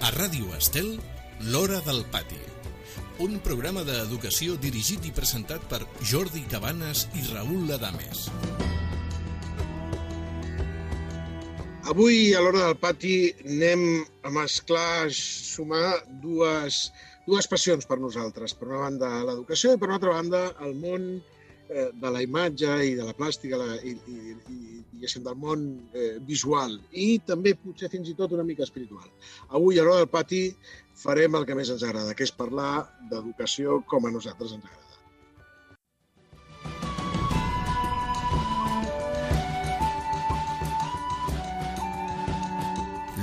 A Ràdio Estel, l'Hora del Pati. Un programa d'educació dirigit i presentat per Jordi Cabanes i Raül Adames. Avui, a l'Hora del Pati, anem a mesclar, a sumar dues passions per nosaltres. Per una banda, l'educació, i per una altra banda, el món de la imatge i de la plàstica i del món visual i també potser fins i tot una mica espiritual. Avui a l'Hora del Pati farem el que més ens agrada, que és parlar d'educació com a nosaltres ens agrada.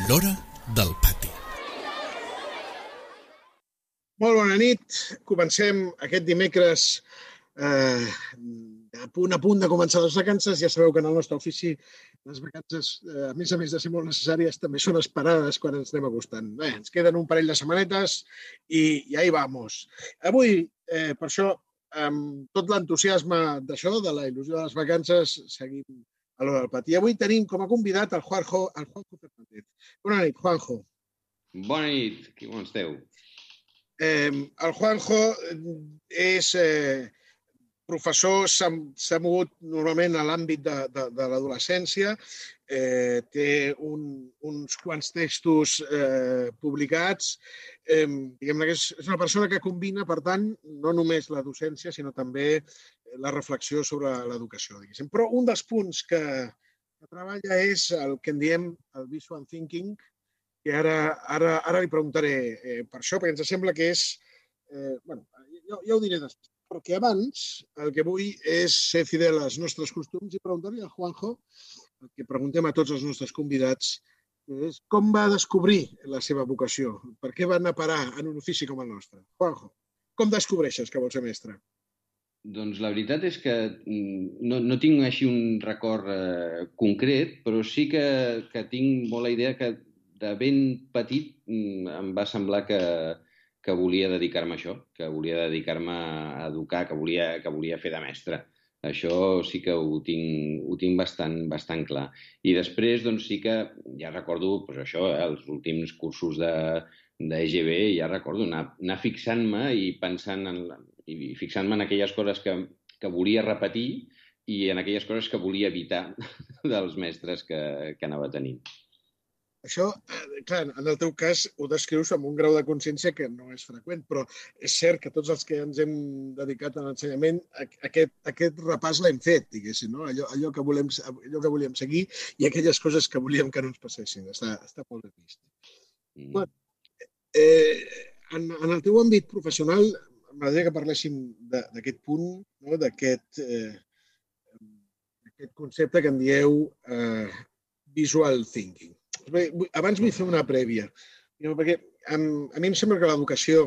L'Hora del Pati. Molt bona nit. Comencem aquest dimecres a punt de començar les vacances. Ja sabeu que en el nostre ofici les vacances, a més de ser molt necessàries, també són esperades quan ens anem acostant. Bé, ens queden un parell de setmanetes i ahí vamos. Avui, per això, amb tot l'entusiasme d'això, de la il·lusió de les vacances, seguim a l'Hora del Pati. Avui tenim com a convidat el Juanjo Fernández. Bona nit, Juanjo. Bona nit, com esteu? El Juanjo és professor, s'ha mogut normalment a l'àmbit de l'adolescència, té uns quants textos publicats. Diguem-ne que és una persona que combina, per tant, no només la docència, sinó també la reflexió sobre l'educació, diguéssim. Però un dels punts que treballa és el que en diem el visual thinking, que ara li preguntaré per això, perquè ens sembla que és... Bueno, ja ho diré després. Però que abans el que vull és ser fidel als nostres costums i preguntar-li a Juanjo, el que preguntem a tots els nostres convidats, és com va descobrir la seva vocació? Per què va anar a parar en un ofici com el nostre? Juanjo, com descobreixes que vols ser mestre? Doncs la veritat és que no tinc així un record concret, però sí que tinc molt la idea que de ben petit em va semblar que volia dedicar-me a això, que volia dedicar-me a educar, que volia fer de mestre. Això sí que ho tinc bastant clar. I després, doncs, sí que ja recordo això, els últims cursos d'EGB, ja recordo anar fixant-me i fixant-me en aquelles coses que volia repetir i en aquelles coses que volia evitar dels mestres que anava tenint. Això, clar, en el teu cas ho descrius amb un grau de consciència que no és freqüent, però és cert que tots els que ens hem dedicat a l'ensenyament, aquest repàs l'hem fet, diguéssim, no? Allò que volíem seguir i aquelles coses que volíem que no ens passessin. Està molt ben vist. Bueno, en el teu àmbit professional, m'agradaria que parléssim d'aquest punt, no? D'aquest concepte que en dieu visual thinking. Abans vull fer una prèvia, perquè a mi em sembla que l'educació,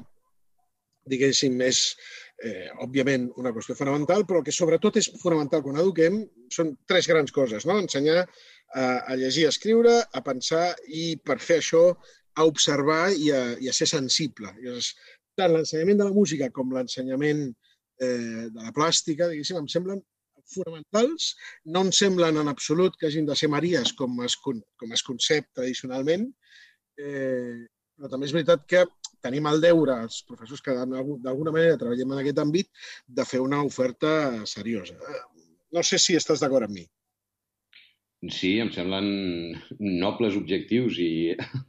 diguéssim, és òbviament una qüestió fonamental, però el que sobretot és fonamental quan eduquem són tres grans coses, no? Ensenyar a llegir, a escriure, a pensar i, per fer això, a observar i a ser sensible. Tant l'ensenyament de la música com l'ensenyament de la plàstica, diguéssim, em semblen fonamentals. No em semblen en absolut que hagin de ser maries com es concep tradicionalment, però també és veritat que tenim el deure, els professors que d'alguna manera treballem en aquest àmbit, de fer una oferta seriosa. No sé si estàs d'acord amb mi. Sí, em semblen nobles objectius i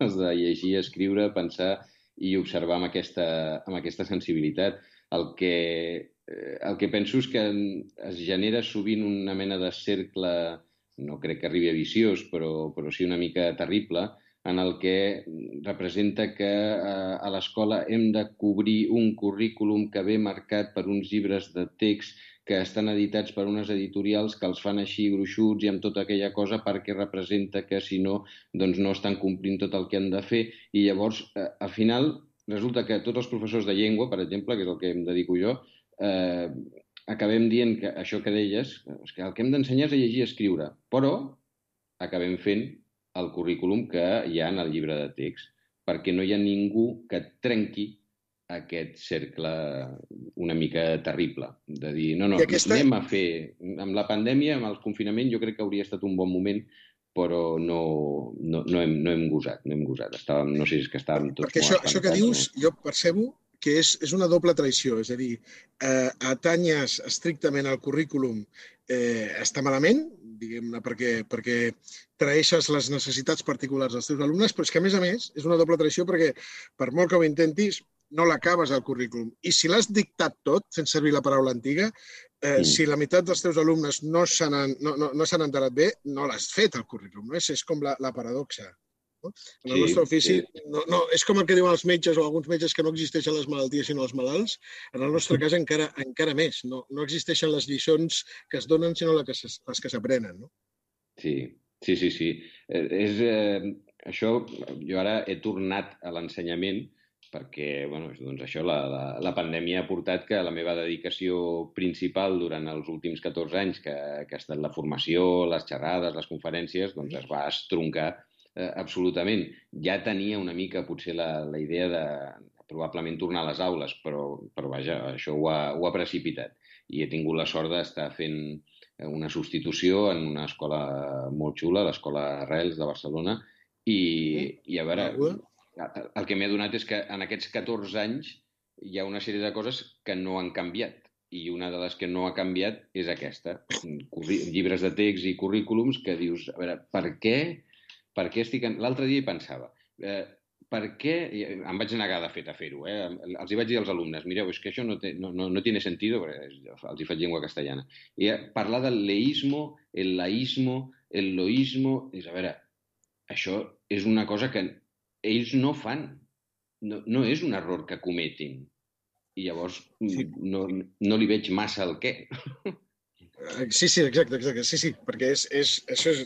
els de llegir, escriure, pensar i observar amb aquesta sensibilitat. El que penso és que es genera sovint una mena de cercle, no crec que arribi a viciós, però sí una mica terrible, en el que representa que a l'escola hem de cobrir un currículum que ve marcat per uns llibres de text que estan editats per unes editorials que els fan així gruixuts i amb tota aquella cosa perquè representa que, si no, doncs no estan complint tot el que han de fer. I llavors, al final, resulta que tots els professors de llengua, per exemple, que és el que em dedico jo, acabem dient que això que deies, que el que hem d'ensenyar és a llegir i escriure, però acabem fent el currículum que hi ha en el llibre de text, perquè no hi ha ningú que trenqui aquest cercle una mica terrible, de dir, no, anem a fer... Amb la pandèmia, amb el confinament, jo crec que hauria estat un bon moment però no hem gosat. No sé si és que estàvem tots Perquè molt això que espantats. dius, jo percebo que és una doble traïció, és a dir, atanyes estrictament al currículum està malament, diguem-ne, perquè traeixes les necessitats particulars dels teus alumnes, però és que, a més, és una doble traïció perquè, per molt que ho intentis, no l'acabes al currículum. I si l'has dictat tot, fent servir la paraula antiga, si la meitat dels teus alumnes no s'han enterat bé, no l'has fet al currículum. No? És com la paradoxa. No? En el nostre ofici, és com el que diuen els metges o alguns metges que no existeixen les malalties sinó els malalts. En el nostre cas encara més. No existeixen les lliçons que es donen sinó les que s'aprenen. No? Sí. Això, jo ara he tornat a l'ensenyament perquè doncs això, la pandèmia ha portat que la meva dedicació principal durant els últims 14 anys, que ha estat la formació, les xerrades, les conferències, doncs es va estroncar absolutament. Ja tenia una mica potser la idea de probablement tornar a les aules, però vaja, això ho ha precipitat. I he tingut la sort d'estar fent una substitució en una escola molt xula, l'Escola Arrels de Barcelona, i a veure, el que m'he adonat és que en aquests 14 anys hi ha una sèrie de coses que no han canviat. I una de les que no ha canviat és aquesta. Llibres de text i currículums que dius, a veure, per què estic... L'altre dia hi pensava, per què... Em vaig negar, de fet, a fer-ho. Els hi vaig dir als alumnes, mireu, és que això no tiene sentido, perquè els hi faig llengua castellana. I parlar del leísmo, el laísmo, el loísmo... És, a veure, això és una cosa que ells no fan. No és un error que cometin. I llavors no li veig massa el què. Sí, exacte. Sí, perquè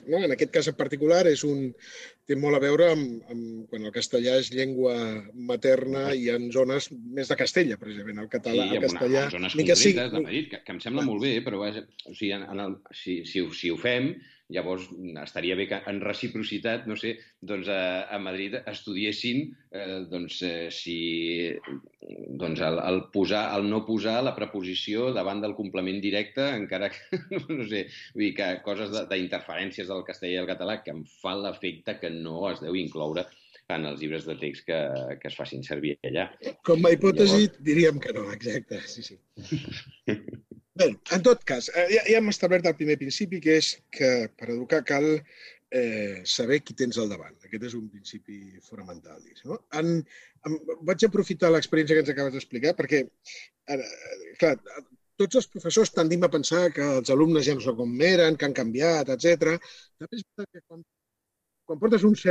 no? En aquest cas en particular té molt a veure amb quan el castellà és llengua materna i en zones més de Castella, precisament. El català, el castellà... En zones concretes de Madrid, que em sembla molt bé, però si ho fem, llavors estaria bé que en reciprocitat, no sé, doncs a Madrid estudiessin el no posar la preposició davant del complement directe, encara que, no sé, vull dir que coses d'interferències del castellà i el català que em fan l'efecte que no es deu incloure en els llibres de text que es facin servir allà. Com a hipòtesi diríem que no, exacte, sí. Bé, en tot cas, ja hem establert el primer principi, que és que per educar cal saber qui tens al davant. Aquest és un principi fonamental. No? Vaig aprofitar l'experiència que ens acabes d'explicar perquè, clar, tots els professors tendim a pensar que els alumnes ja no són com eren, que han canviat, etc. També és veritat que quan portes uns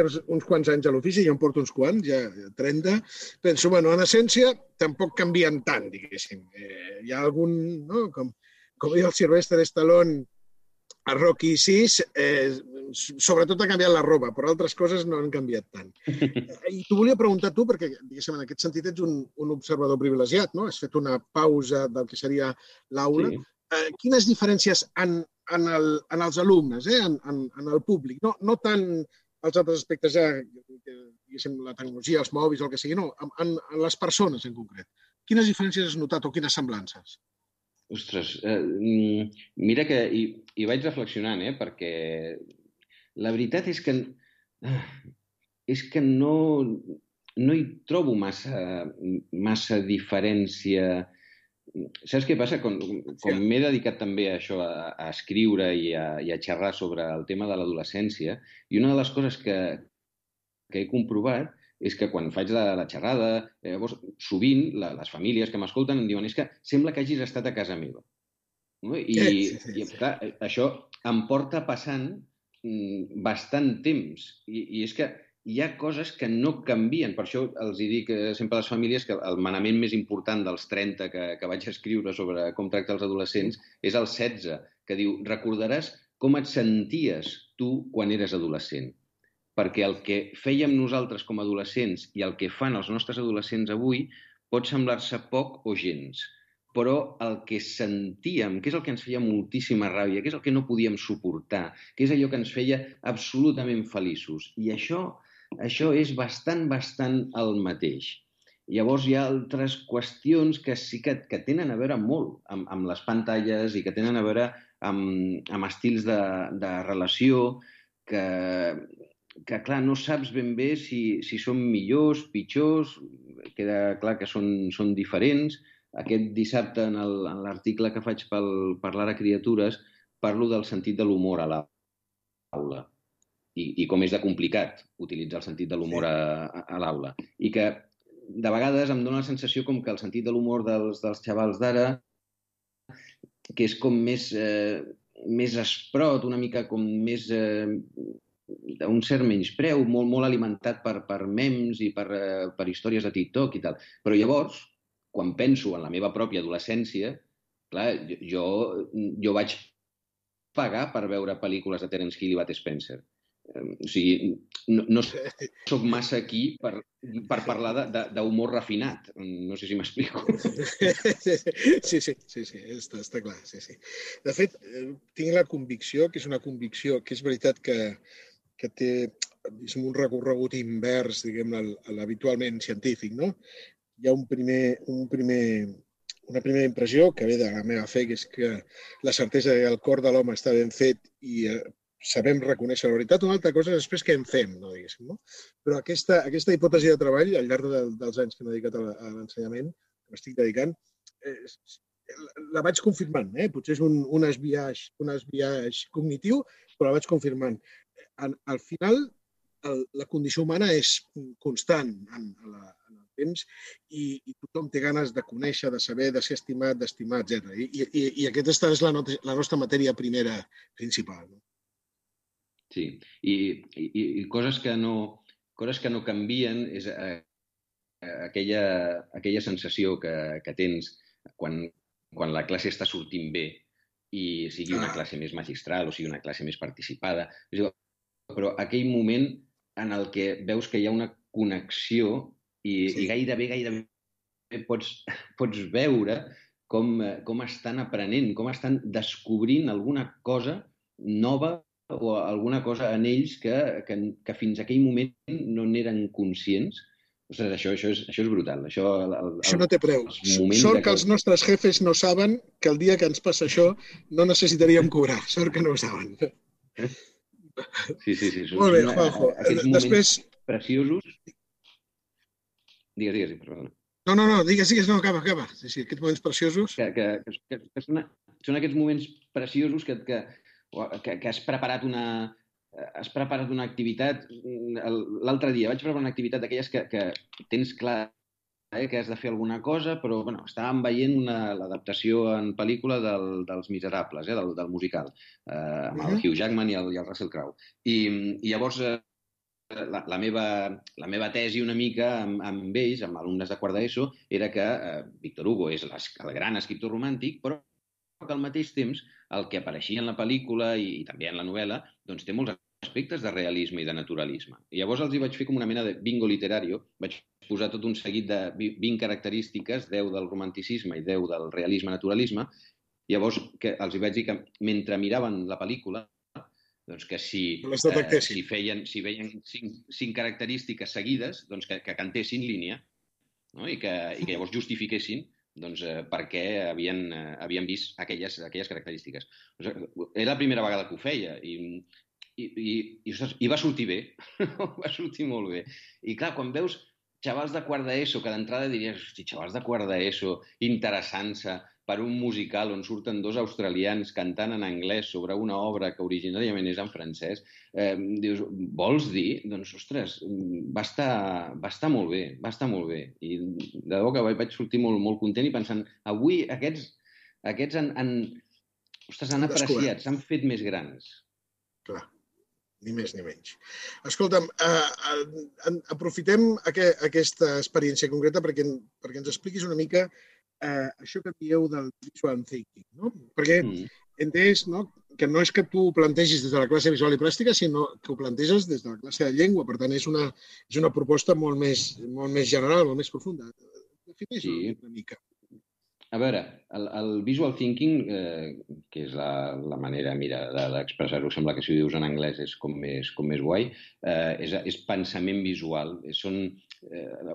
quants anys a l'ofici, jo en porto uns quants, ja 30, penso, en essència, tampoc canvien tant, diguéssim. Hi ha algun, no? Com diu el Sylvester Stallone a Rocky VI, sobretot ha canviat la roba, però altres coses no han canviat tant. I t'ho volia preguntar tu, perquè, diguéssim, en aquest sentit ets un observador privilegiat, no? Has fet una pausa del que seria l'aula. Sí. Quines diferències en els alumnes, en el públic? No tant els altres aspectes, diguéssim, la tecnologia, els mòbils o el que sigui, no, en les persones en concret. Quines diferències has notat o quines semblances? Ostres, mira que hi vaig reflexionant, perquè la veritat és que no hi trobo massa diferència. Saps què passa? Com m'he dedicat també a això, a escriure i a xerrar sobre el tema de l'adolescència, i una de les coses que he comprovat és que quan faig la xerrada, sovint les famílies que m'escolten em diuen és que sembla que hagis estat a casa meva. I clar, això em porta passant bastant temps. I és que hi ha coses que no canvien. Per això els dic sempre a les famílies que el manament més important dels 30 que vaig escriure sobre com tractar els adolescents és el 16, que diu: recordaràs com et senties tu quan eres adolescent. Perquè el que fèiem nosaltres com a adolescents i el que fan els nostres adolescents avui pot semblar-se poc o gens. Però el que sentíem, que és el que ens feia moltíssima ràbia, que és el que no podíem suportar, que és allò que ens feia absolutament feliços. I això és bastant el mateix. Llavors hi ha altres qüestions que sí que tenen a veure molt amb les pantalles i que tenen a veure amb estils de relació, clar, no saps ben bé si són millors, pitjors, queda clar que són diferents. Aquest dissabte, en l'article que faig per l'Ara Criatures, parlo del sentit de l'humor a l'aula i com és de complicat utilitzar el sentit de l'humor a l'aula. I que de vegades em dóna la sensació com que el sentit de l'humor dels xavals d'ara, que és com més esprot, una mica com més d'un cert menyspreu, molt, molt alimentat per memes i per històries de TikTok i tal. Però llavors, quan penso en la meva pròpia adolescència, clar, jo vaig pagar per veure pel·lícules de Terence Hill i Bud Spencer. O sigui, no soc massa aquí per parlar d'humor refinat. No sé si m'explico. Sí, està clar. Sí. De fet, tinc la convicció, que és una convicció que és veritat que té un recorregut invers, diguem-ne, a l'habitualment científic, no? Hi ha una primera impressió que ve de la meva fe, que és que la certesa que el cor de l'home està ben fet i sabem reconèixer la veritat. Una altra cosa és després què en fem, no diguéssim, no? Però aquesta hipòtesi de treball, al llarg dels anys que m'he dedicat a l'ensenyament, que m'estic dedicant, la vaig confirmant. Potser és un esbiaix cognitiu, però la vaig confirmant. Al final, la condició humana és constant en el temps i tothom té ganes de conèixer, de saber, de ser estimat, d'estimar, etc. I aquesta és la nostra matèria primera principal. Sí, i coses que no canvien és aquella sensació que tens quan la classe està sortint bé i sigui una classe més magistral o sigui una classe més participada. Però aquell moment en el que veus que hi ha una connexió i gairebé pots veure com estan aprenent, com estan descobrint alguna cosa nova o alguna cosa en ells que fins a aquell moment no n'eren conscients. Ostres, això és brutal. Això no té preu. Sort que els nostres jefes no saben que el dia que ens passa això no necessitaríem cobrar. Sort que no ho saben. Sí. Molt bé, Juanjo. Aquests moments preciosos... Digues, perdona. No, digues, no, acaba. Sí, aquests moments preciosos... Que són aquests moments preciosos que has preparat una activitat. L'altre dia vaig preparar una activitat d'aquelles que tens clar que has de fer alguna cosa, però estàvem veient l'adaptació en pel·lícula dels Miserables, del musical, amb el Hugh Jackman i el Russell Crowe. I llavors la meva tesi una mica amb ells, amb alumnes de quart d'ESO, era que Víctor Hugo és el gran escriptor romàntic, però que al mateix temps el que apareixia en la pel·lícula i també en la novel·la doncs té molts aspectes de realisme i de naturalisme. I llavors els hi vaig fer com una mena de bingo literario, vaig posar tot un seguit de 20 característiques, 10 del romanticisme i 10 del realisme-naturalisme. Llavors els hi vaig dir que mentre miraven la pel·lícula, doncs que si veien 5 característiques seguides, doncs que cantessin línia, no? I que llavors justifiquessin per què havien vist aquelles característiques. Era la primera vegada que ho feia i va sortir bé, va sortir molt bé. I clar, quan veus xavals de quart d'ESO, que d'entrada diries, hosti, xavals de quart d'ESO interessant-se per un musical on surten 2 australians cantant en anglès sobre una obra que originàriament és en francès, dius, vols dir? Doncs, ostres, va estar molt bé, va estar molt bé. I de debò que vaig sortir molt, molt content i pensant, avui aquests han apreciat, s'han fet més grans. Clar, ni més ni menys. Escolta'm, aprofitem aquesta experiència concreta perquè ens expliquis una mica això que dieu del visual thinking, no? Perquè entès, no?, que no és que tu ho plantegis des de la classe visual i plàstica, sinó que ho planteges des de la classe de llengua. Per tant, és una proposta molt més general, molt més profunda. Defineix-ho una mica. A veure, el visual thinking, que és la manera, d'expressar-ho, sembla que si ho dius en anglès és com més guai, és pensament visual.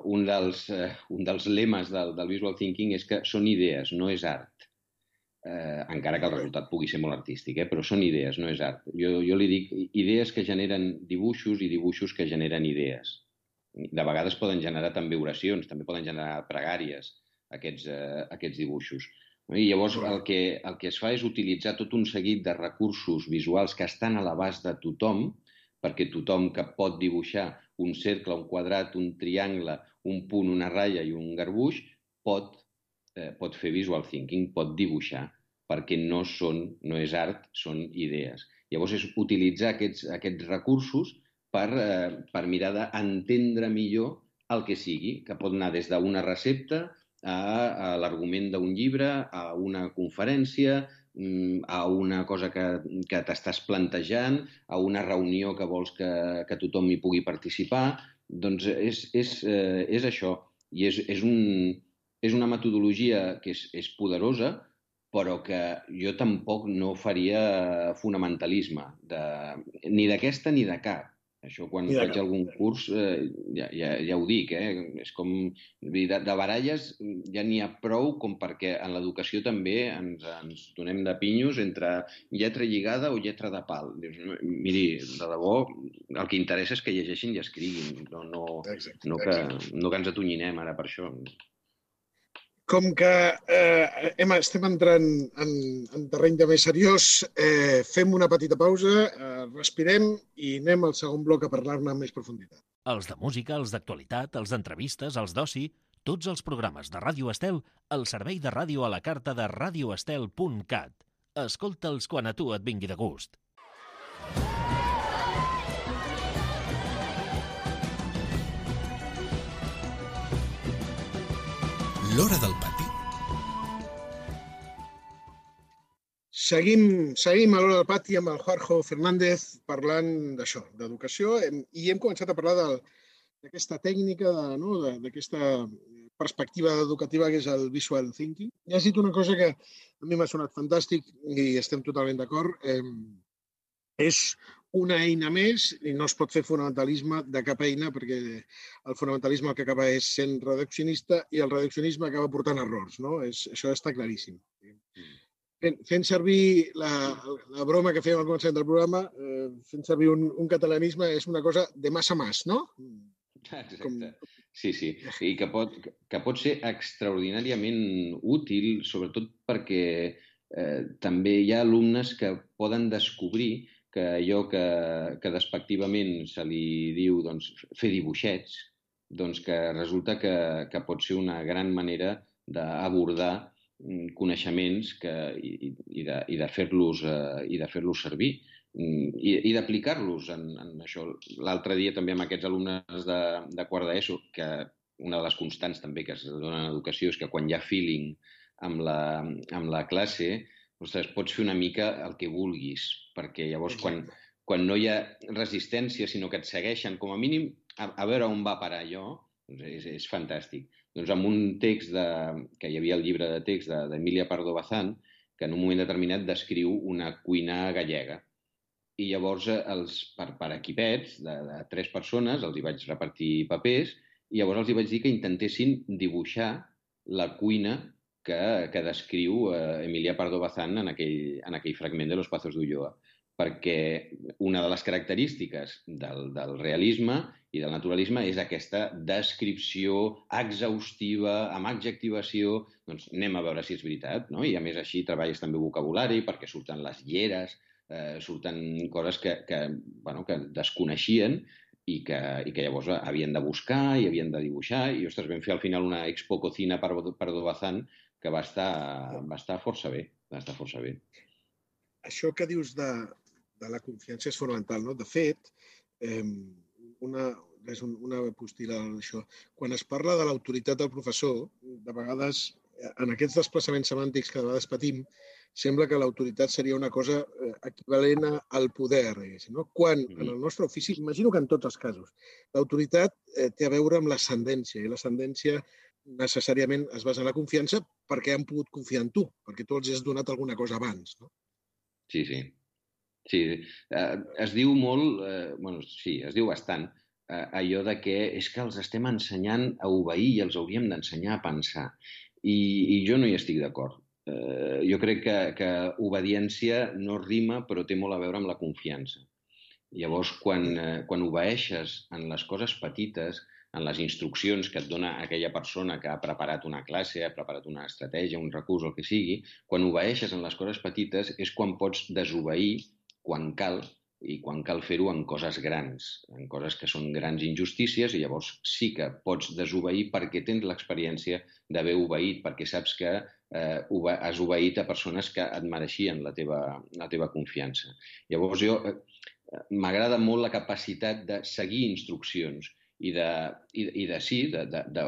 Un dels lemes del visual thinking és que són idees, no és art. encara que el resultat pugui ser molt artístic, però són idees, no és art. Jo li dic idees que generen dibuixos i dibuixos que generen idees. De vegades poden generar també oracions, també poden generar pregàries, aquests dibuixos. I llavors el que es fa és utilitzar tot un seguit de recursos visuals que estan a l'abast de tothom, perquè tothom que pot dibuixar un cercle, un quadrat, un triangle, un punt, una ratlla i un garbuix, pot fer visual thinking, pot dibuixar, perquè no és art, són idees. Llavors és utilitzar aquests recursos per mirar d'entendre millor el que sigui, que pot anar des d'una recepta a l'argument d'un llibre, a una conferència, a una cosa que t'estàs plantejant, a una reunió que vols que tothom hi pugui participar. Doncs és això. I és una metodologia que és poderosa, però que jo tampoc no faria fonamentalisme, ni d'aquesta ni de cap. Això quan faig algun curs ja ho dic, és com de baralles ja n'hi ha prou com perquè en l'educació també ens donem de pinyos entre lletra lligada o lletra de pal. Dius, miri, de debò, el que interessa és que llegeixin i escriguin, no que ens atonyinem ara per això. Com que estem entrant en terreny de més seriós, fem una petita pausa, respirem i anem al segon bloc a parlar-ne amb més profunditat. Els de música, els d'actualitat, els d'entrevistes, els d'oci, tots els programes de Ràdio Estel al servei de ràdio a la carta de radioestel.cat. Escolta'ls quan a tu et vingui de gust. L'Hora del Pati. Seguim a l'Hora del Pati amb el Juanjo Fernández parlant d'això, d'educació, i hem començat a parlar d'aquesta tècnica, d'aquesta perspectiva educativa que és el visual thinking. I has dit una cosa que a mi m'ha sonat fantàstic i estem totalment d'acord. És una eina més i no es pot fer fonamentalisme de cap eina perquè el fonamentalisme el que acaba és sent reduccionista i el reduccionisme acaba portant errors, no? Això està claríssim. Fent servir la broma que fèiem al començament del programa, fent servir un catalanisme és una cosa de mas a mas, no? Exacte. Sí. I que pot ser extraordinàriament útil, sobretot perquè també hi ha alumnes que poden descobrir que allò que despectivament se li diu fer dibuixets, que resulta que pot ser una gran manera d'abordar coneixements i de fer-los servir i d'aplicar-los en això. L'altre dia també amb aquests alumnes de quart d'ESO, que una de les constants també que es dona en educació és que quan hi ha feeling amb la classe, ostres, pots fer una mica el que vulguis, perquè llavors quan no hi ha resistència, sinó que et segueixen, com a mínim, a veure on va parar allò, és fantàstic. Doncs amb un text que hi havia al llibre de text d'Emilia Pardo Bazán, que en un moment determinat descriu una cuina gallega. I llavors, per equipets de 3 persones, els hi vaig repartir papers, i llavors els hi vaig dir que intentessin dibuixar la cuina que descriu Emilia Pardo Bazán en aquell fragment de Los Pazos d'Ulloa, perquè una de les característiques del realisme i del naturalisme és aquesta descripció exhaustiva, amb adjectivació. Doncs anem a veure si és veritat, no? I a més així treballes també vocabulari perquè surten les lleres, surten coses que desconeixien i que llavors havien de buscar i havien de dibuixar. I, ostres, vam fer al final una expo cocina Pardo Bazán que va estar força bé. Això que dius de la confiança és fonamental, no? De fet, és una postila d'això. Quan es parla de l'autoritat del professor, de vegades, en aquests desplaçaments semàntics que de vegades patim, sembla que l'autoritat seria una cosa equivalent al poder, no? Quan en el nostre ofici, imagino que en tots els casos, l'autoritat té a veure amb l'ascendència, i l'ascendència necessàriament es basa en la confiança perquè han pogut confiar en tu, perquè tu els has donat alguna cosa abans, no? Sí. Es diu molt, es diu bastant, allò de que és que els estem ensenyant a obeir i els hauríem d'ensenyar a pensar. I jo no hi estic d'acord. jo crec que obediència no rima, però té molt a veure amb la confiança. Llavors, quan obeeixes en les coses petites, en les instruccions que et dona aquella persona que ha preparat una classe, ha preparat una estratègia, un recurs, el que sigui, quan obeeixes en les coses petites és quan pots desobeir quan cal, i quan cal fer-ho en coses grans, en coses que són grans injustícies, i llavors sí que pots desobeir perquè tens l'experiència d'haver obeït, perquè saps que has obeït a persones que et mereixien la teva confiança. Llavors m'agrada molt la capacitat de seguir instruccions i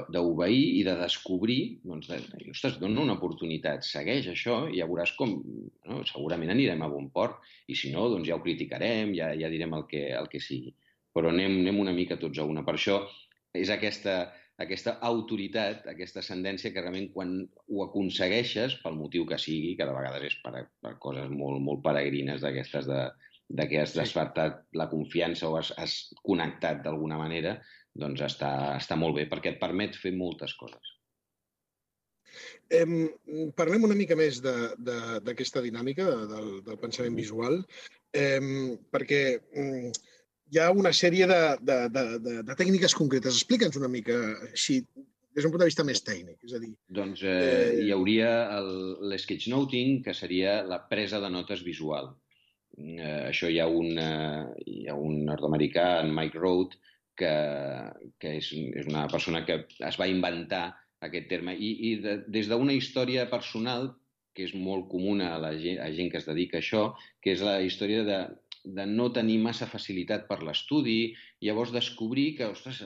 d'obeir i de descobrir, doncs, ostres, dona una oportunitat, segueix això i ja veuràs com, segurament anirem a bon port, i si no, doncs ja ho criticarem, ja direm el que sigui. Però anem una mica tots a una. Per això és aquesta autoritat, aquesta ascendència que realment quan ho aconsegueixes, pel motiu que sigui, que de vegades és per coses molt, molt peregrines d'aquestes de que has despertat la confiança o has connectat d'alguna manera, doncs està molt bé, perquè et permet fer moltes coses. Parlem una mica més d'aquesta dinàmica del pensament visual, perquè hi ha una sèrie de tècniques concretes. Explica'ns una mica així, des d'un punt de vista més tècnic. És a dir, doncs hi hauria l'sketchnoting, que seria la presa de notes visual. Això hi ha un nord-americà, en Mike Road, que és una persona que es va inventar aquest terme. I des d'una història personal, que és molt comuna a gent que es dedica a això, que és la història de no tenir massa facilitat per l'estudi, llavors descobrir que, ostres,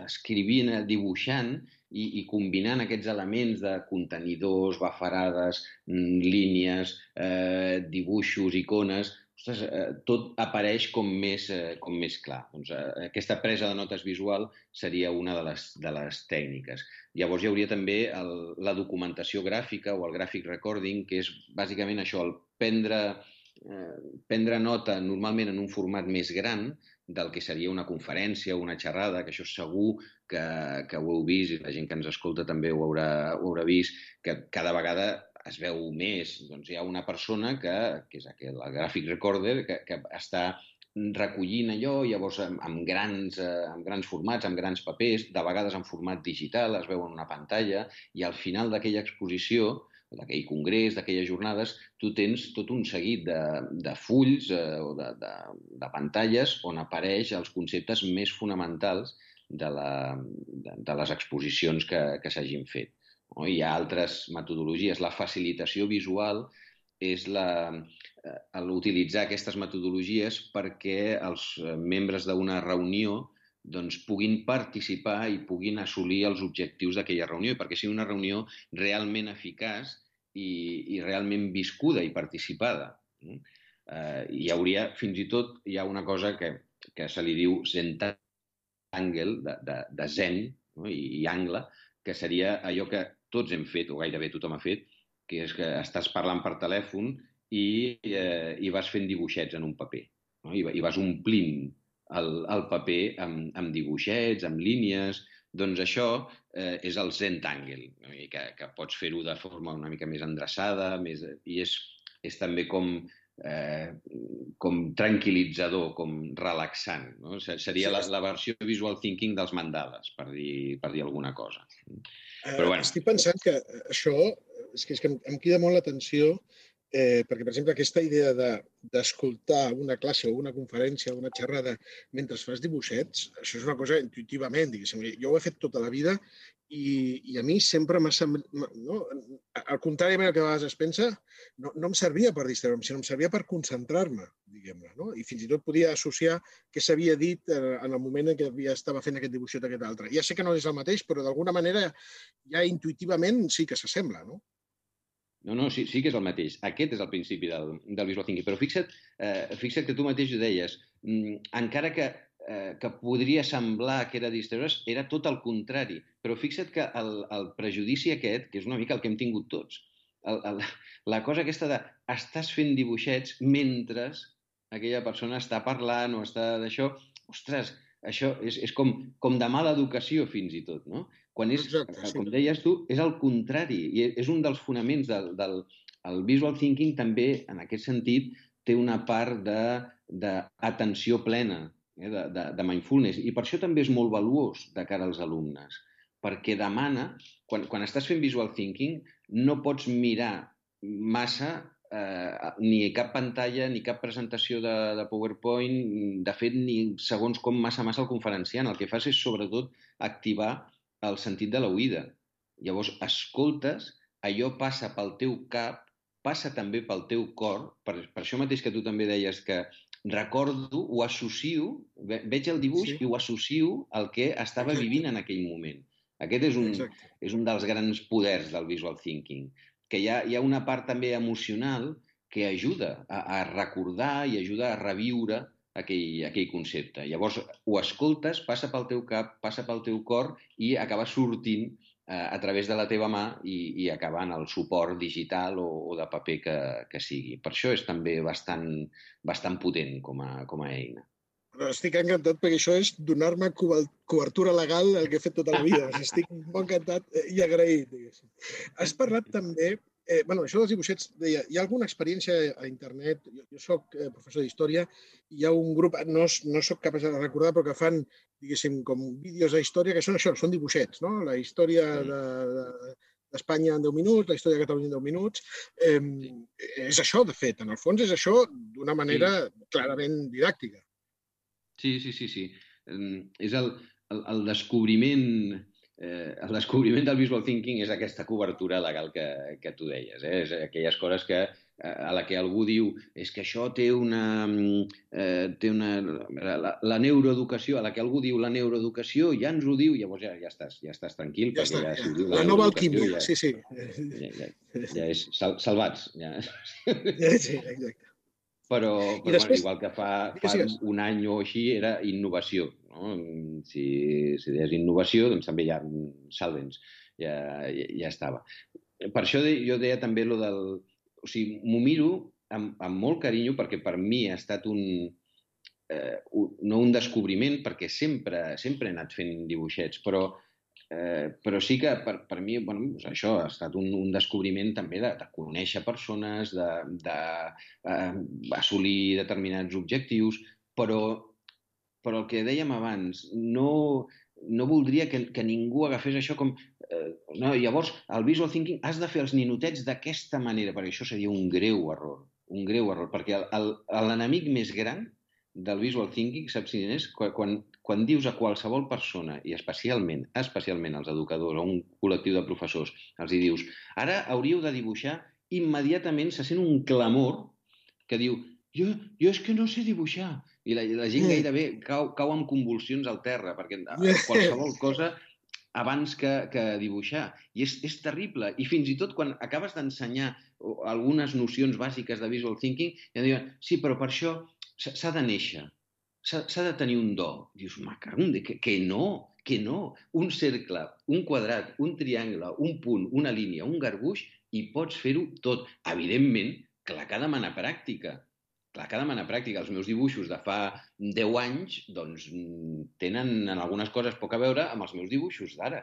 escrivint, dibuixant i combinant aquests elements de contenidors, bafarades, línies, dibuixos, icones, ostres, tot apareix com més clar. Doncs aquesta presa de notes visual seria una de les tècniques. Llavors hi hauria també la documentació gràfica o el graphic recording, que és bàsicament això, el prendre nota normalment en un format més gran del que seria una conferència o una xerrada, que això segur que ho heu vist i la gent que ens escolta també ho haurà vist, que cada vegada es veu més. Doncs hi ha una persona que és el graphic recorder, que està recollint allò, llavors amb grans formats, amb grans papers, de vegades en format digital, es veu en una pantalla, i al final d'aquella exposició, d'aquell congrés, d'aquelles jornades, tu tens tot un seguit de fulls o de pantalles on apareix els conceptes més fonamentals de les exposicions que s'hagin fet. Hi ha altres metodologies. La facilitació visual és utilitzar aquestes metodologies perquè els membres d'una reunió doncs, puguin participar i puguin assolir els objectius d'aquella reunió, i perquè sigui una reunió realment eficaç i realment viscuda i participada. Fins i tot hi ha una cosa que se li diu Zentangle, de zen i angle, que seria allò que tots hem fet, o gairebé tothom ha fet, que és que estàs parlant per telèfon i vas fent dibuixets en un paper, i vas omplint el paper amb dibuixets, amb línies. Doncs això és el Zentangle, que pots fer-ho de forma una mica més endreçada, i és també com tranquil·litzador, com relaxant. Seria la versió visual thinking dels mandales, per dir alguna cosa. Però bueno. Estic pensant que això és que em crida molt l'atenció, perquè, per exemple, aquesta idea d'escoltar una classe o una conferència o una xerrada mentre fas dibuixets, això és una cosa intuïtivament, diguéssim. Jo ho he fet tota la vida i a mi sempre m'ha semblat... Al contrari del que a vegades es pensa, no em servia per distreure'm, sinó em servia per concentrar-me, diguem-ne. I fins i tot podia associar què s'havia dit en el moment en què estava fent aquest dibuixet o aquest altre. Ja sé que no és el mateix, però d'alguna manera ja intuïtivament sí que s'assembla, no? No, sí que és el mateix. Aquest és el principi del visual thinking. Però fixa't que tu mateix ho deies. Encara que podria semblar que era distreure's, era tot el contrari. Però fixa't que el prejudici aquest, que és una mica el que hem tingut tots, la cosa aquesta de estàs fent dibuixets mentre aquella persona està parlant o està d'això, ostres, això és com de mala educació fins i tot, no? Quan és, com deies tu, és el contrari. I és un dels fonaments del visual thinking també, en aquest sentit, té una part d'atenció plena, de mindfulness. I per això també és molt valuós de cara als alumnes, perquè demana, quan estàs fent visual thinking, no pots mirar massa ni cap pantalla, ni cap presentació de PowerPoint, de fet, ni segons com massa el conferenciant. El que fas és, sobretot, activar el sentit de l'oïda. Llavors, escoltes, allò passa pel teu cap, passa també pel teu cor, per això mateix que tu també deies que recordo, ho associo, veig el dibuix i ho associo al que estava vivint en aquell moment. Aquest és un dels grans poders del visual thinking, que hi ha una part també emocional que ajuda a recordar i ajuda a reviure aquell concepte. Llavors, ho escoltes, passa pel teu cap, passa pel teu cor i acaba sortint a través de la teva mà i acaba en el suport digital o de paper que sigui. Per això és també bastant potent com a eina. Estic encantat perquè això és donar-me cobertura legal al que he fet tota la vida. Estic molt encantat i agraït. Has parlat també... Això dels dibuixets, deia, hi ha alguna experiència a internet? Jo soc professor d'història i hi ha un grup, no soc capaç de recordar, però que fan, diguéssim, com vídeos de història que són això, són dibuixets, no? La història d'Espanya en 10 minuts, la història de Catalunya en 10 minuts. És això, de fet, en el fons és això d'una manera clarament didàctica. Sí. És el descobriment... El descobriment del visual thinking és aquesta cobertura legal que tu deies. És aquelles coses a la que algú diu és que això té la neuroeducació, a la que algú diu la neuroeducació ja ens ho diu, llavors ja estàs tranquil. Ja està, la nova alquímia, sí. Ja és salvats. Sí, exacte. Però igual que fa un any o així era innovació. No? Si deies innovació, doncs també ja salvens, ja estava. Per això jo deia també allò del... O sigui, m'ho miro amb molt carinyo perquè per mi ha estat no un descobriment, perquè sempre he anat fent dibuixets, però sí que per mi això ha estat un descobriment també de conèixer persones, d'assolir determinats objectius, però el que dèiem abans, no voldria que ningú agafés això com... Llavors, el visual thinking has de fer els ninotets d'aquesta manera, perquè això seria un greu error, perquè l'enemic més gran del visual thinking, saps quin és? Quan dius a qualsevol persona, i especialment als educadors o un col·lectiu de professors, els hi dius, ara hauríeu de dibuixar, immediatament se sent un clamor que diu, jo és que no sé dibuixar. I la gent gairebé cau amb convulsions al terra, perquè qualsevol cosa abans que dibuixar. I és terrible. I fins i tot quan acabes d'ensenyar algunes nocions bàsiques de visual thinking, ja diuen, sí, però per això s'ha de néixer, s'ha de tenir un do. Dius, que no. Un cercle, un quadrat, un triangle, un punt, una línia, un garbuix, i pots fer-ho tot. Evidentment, clar que ha de demanar pràctica. Els meus dibuixos de fa 10 anys doncs, tenen en algunes coses poc a veure amb els meus dibuixos d'ara.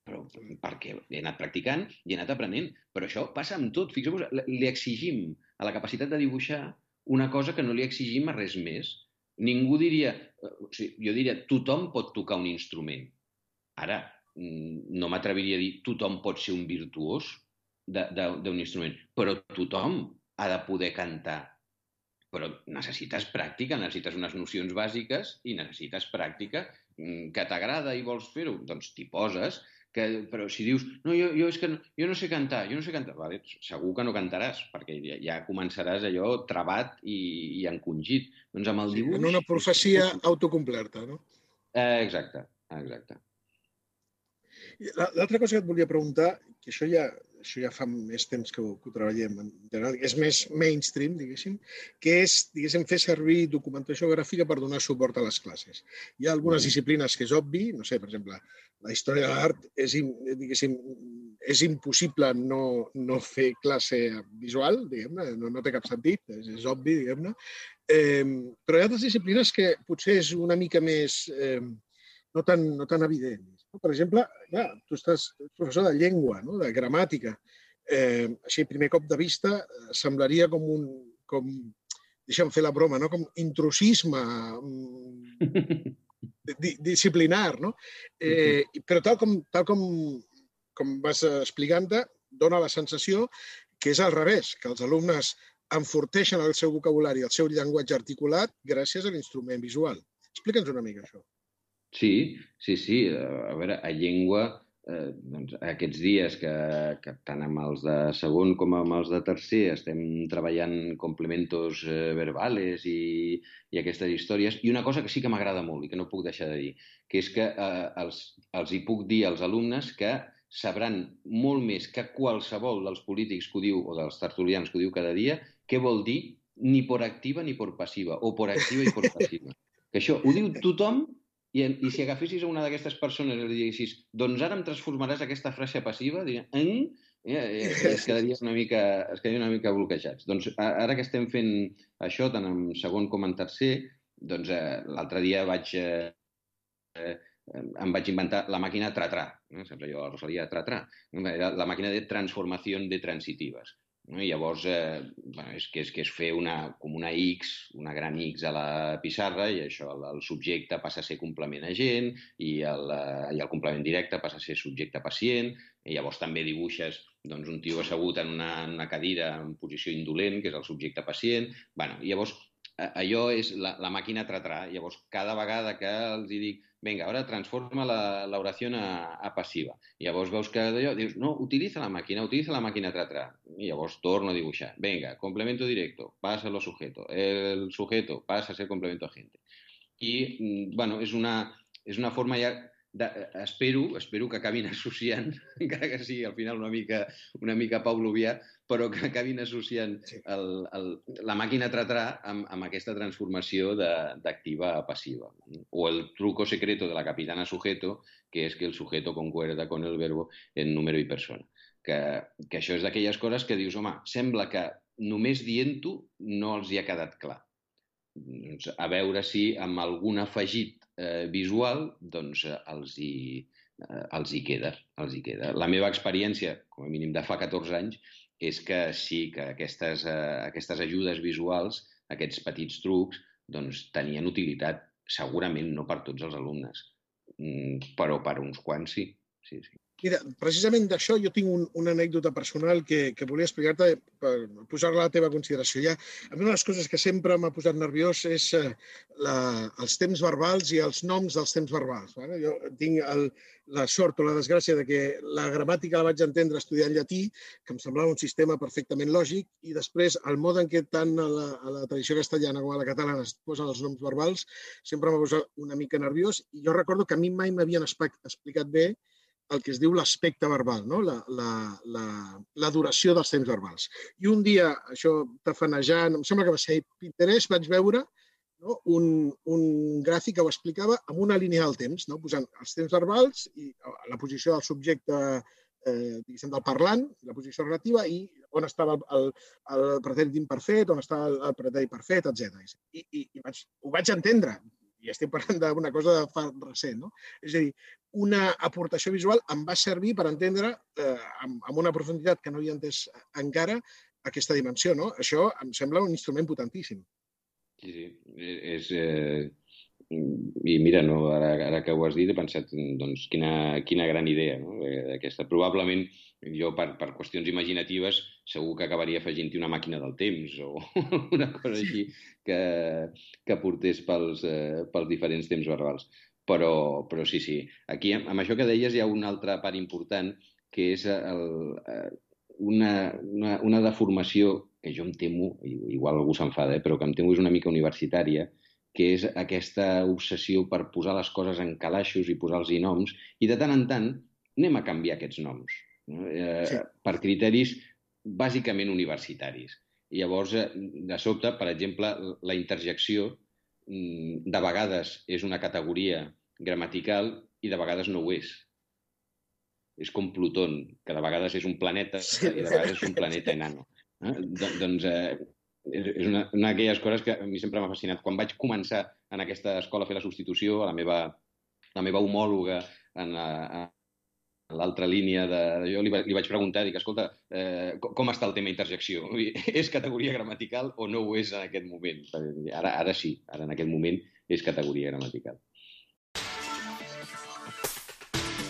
Però perquè he anat practicant i he anat aprenent. Però això passa amb tot. Fixeu-vos, li exigim a la capacitat de dibuixar una cosa que no li exigim a res més. Ningú diria... Jo diria, tothom pot tocar un instrument. Ara, no m'atreviria a dir tothom pot ser un virtuós d'un instrument, però tothom ha de poder cantar. Però necessites pràctica, necessites unes nocions bàsiques i necessites pràctica. Que t'agrada i vols fer-ho? Doncs t'hi poses. Però si dius, no, jo no sé cantar, vale, segur que no cantaràs, perquè ja començaràs allò trabat i encongit. Doncs amb el dibuix... En una profecia autocomplerta, no? Exacte. L'altra cosa que et volia preguntar, que això ja fa més temps que ho treballem en general, és més mainstream, diguéssim, que és, fer servir documentació gràfica per donar suport a les classes. Hi ha algunes disciplines que és obvi, no sé, per exemple, la història de l'art és impossible no fer classe visual, diguem-ne, no té cap sentit, és obvi, diguem-ne. Però hi ha altres disciplines que potser és una mica més no tan evidents. Per exemple, clar, tu estàs professor de llengua, no? De gramàtica. Així, a primer cop de vista, semblaria deixa'm fer la broma, no? Com intrusisme disciplinar, no? Però tal com vas explicant-te, dona la sensació que és al revés, que els alumnes enforteixen el seu vocabulari, el seu llenguatge articulat, gràcies a l'instrument visual. Explica'ns una mica això. Sí. A veure, a llengua, aquests dies que tant amb els de segon com amb els de tercer estem treballant complementos verbales i aquestes històries, i una cosa que sí que m'agrada molt i que no puc deixar de dir, que és que els hi puc dir als alumnes que sabran molt més que qualsevol dels polítics que ho diu o dels tertulians que ho diu cada dia què vol dir ni por activa ni por passiva, o por activa i por passiva. Que això ho diu tothom. I si agafessis a una d'aquestes persones i li diguessis, doncs ara em transformaràs aquesta frase passiva, dirien, es quedaria una mica bloquejats. Doncs ara que estem fent això, tant en segon com en tercer, doncs l'altre dia em vaig inventar la màquina Tra-Tra. Saps allò, la Rosalia Tra-Tra? La màquina de transformació de transitives. I llavors, és fer com una X, una gran X a la pissarra, i això, el subjecte passa a ser complement agent, i el complement directe passa a ser subjecte-pacient, i llavors també dibuixes un tio assegut en una cadira en posició indolent, que és el subjecte-pacient. I llavors, allò és la màquina Tra-Tra. Llavors, cada vegada que els dic, venga, ahora transforma la oración a pasiva. I llavors veus que d'allò, dius, no, utilitza la màquina Tra-Tra. I llavors torno a dibuixar. Venga, complemento directo, pasa lo sujeto. El sujeto pasa a ser complemento agente. I, és una forma ja espero que acabin associant, encara que sigui al final una mica pavlovià, però que acabin associant la màquina Tra-Tra amb aquesta transformació d'activa a passiva. O el truco secreto de la capitana sujeto, que és que el sujeto concuerda con el verbo en número i persona. Que això és d'aquelles coses que dius, home, sembla que només dient-ho no els hi ha quedat clar. A veure si amb algun afegit visual doncs els hi queda. La meva experiència, com a mínim de fa 14 anys, és que sí, que aquestes ajudes visuals, aquests petits trucs, doncs tenien utilitat, segurament no per tots els alumnes, però per uns quants sí. Mira, precisament d'això jo tinc una anècdota personal que volia explicar-te per posar-la a la teva consideració. A mi una de les coses que sempre m'ha posat nerviós és els temps verbals i els noms dels temps verbals. Jo tinc la sort o la desgràcia de que la gramàtica la vaig entendre estudiant llatí, que em semblava un sistema perfectament lògic, i després el mode en què tant a la tradició castellana com a la catalana es posen els noms verbals sempre m'ha posat una mica nerviós, i jo recordo que a mi mai m'havien explicat bé el que es diu l'aspecte verbal, no? La duració dels temps verbals. I un dia, això tafanejant, em sembla que va ser Pinterest, vaig veure un gràfic que ho explicava amb una línia del temps, posant els temps verbals i la posició del subjecte del parlant, la posició relativa, i on estava el pretèrit imperfet, on estava el pretèrit perfet, etc. I ho vaig entendre. I estic parlant d'una cosa de fa recent. És a dir, una aportació visual em va servir per entendre amb una profunditat que no havia entès encara aquesta dimensió. Això em sembla un instrument potentíssim. Sí. I mira, ara que ho has dit, he pensat quina gran idea aquesta. Probablement jo, per qüestions imaginatives, segur que acabaria afegint-hi una màquina del temps o una cosa així que portés pels diferents temps verbals. Però sí. Aquí, amb això que deies, hi ha una altra part important, que és una deformació que jo em temo, igual algú s'enfada, però que em temo és una mica universitària, que és aquesta obsessió per posar les coses en calaixos i posar-los noms, i de tant en tant anem a canviar aquests noms, per criteris bàsicament universitaris. I llavors, de sobte, per exemple, la interjecció de vegades és una categoria gramatical i de vegades no ho és. És com Plutón, que de vegades és un planeta i de vegades és un planeta enano. Doncs és una d'aquelles coses que a mi sempre m'ha fascinat. Quan vaig començar en aquesta escola a fer la substitució, a la meva la meva homòloga en l'altra línia jo li vaig preguntar, dic, escolta, com està el tema interjecció? És categoria gramatical o no ho és en aquest moment? Ara sí, ara en aquest moment és categoria gramatical.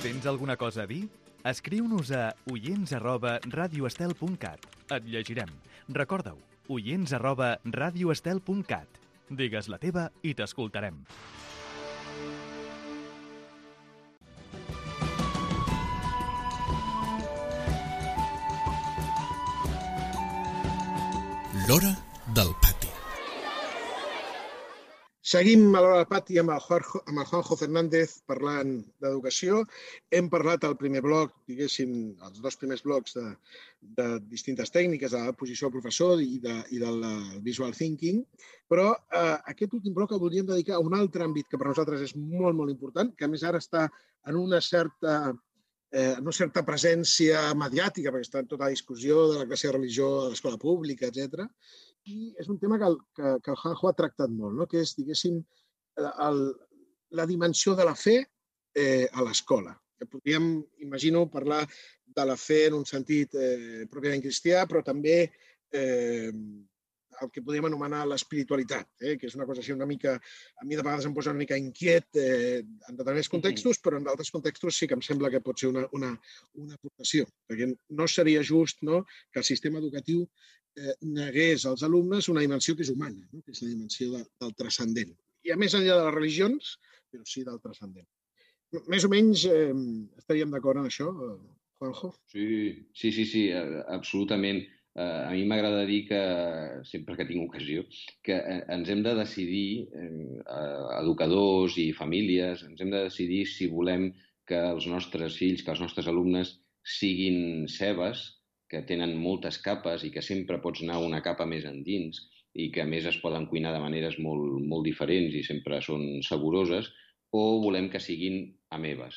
Tens alguna cosa a dir? Escriu-nos a oients@radioestel.cat. Et llegirem. Recorda-ho, oients@radioestel.cat. Digues la teva i t'escoltarem. L'hora del pati. Seguim a l'hora del pati amb el Juanjo Fernández parlant d'educació. Hem parlat al primer bloc, diguéssim, els dos primers blocs de distintes tècniques, de la posició del professor i del visual thinking, però aquest últim bloc el voldríem dedicar a un altre àmbit que per nosaltres és molt, molt important, que a més ara està en una certa presència mediàtica, perquè està en tota la discussió de la classe de religió a l'escola pública, etc. I és un tema que el Juanjo ha tractat molt, no? Que és, diguéssim, la dimensió de la fe a l'escola. Que podríem, imagino, parlar de la fe en un sentit pròpiament cristià, però també el que podríem anomenar l'espiritualitat, que és una cosa així una mica, a mi de vegades em posa una mica inquiet en determinats contextos, però en d'altres contextos sí que em sembla que pot ser una aportació, perquè no seria just, no, que el sistema educatiu negués als alumnes una dimensió que és humana, no? Que és la dimensió del transcendent. I a més enllà de les religions, però sí del transcendent. Més o menys estaríem d'acord en això, Juanjo? Sí, absolutament. A mi m'agrada dir que, sempre que tinc ocasió, que ens hem de decidir, educadors i famílies, ens hem de decidir si volem que els nostres fills, que els nostres alumnes siguin cebes, que tenen moltes capes i que sempre pots anar una capa més endins i que a més es poden cuinar de maneres molt, molt diferents i sempre són saboroses, o volem que siguin amebes,